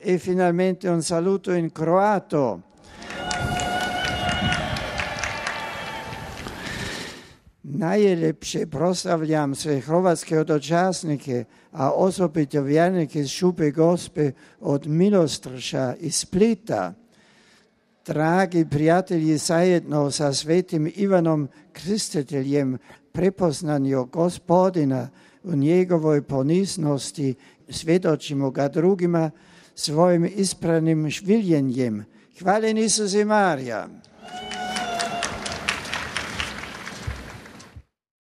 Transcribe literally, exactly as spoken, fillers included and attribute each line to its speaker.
Speaker 1: E finalmente un saluto in croato. Najljepše proslavljam sve hrvatske hodočasnike, a osobito vjernike iz Šupe Gospe od Milostrša i Splita. Dragi prijatelji, zajedno sa svetim Ivanom Krstiteljem prepoznanju Gospodina u njegovoj poniznosti svjedočimo ga drugima svojim ispravnim življenjem. Hvaljen Isus i Marija.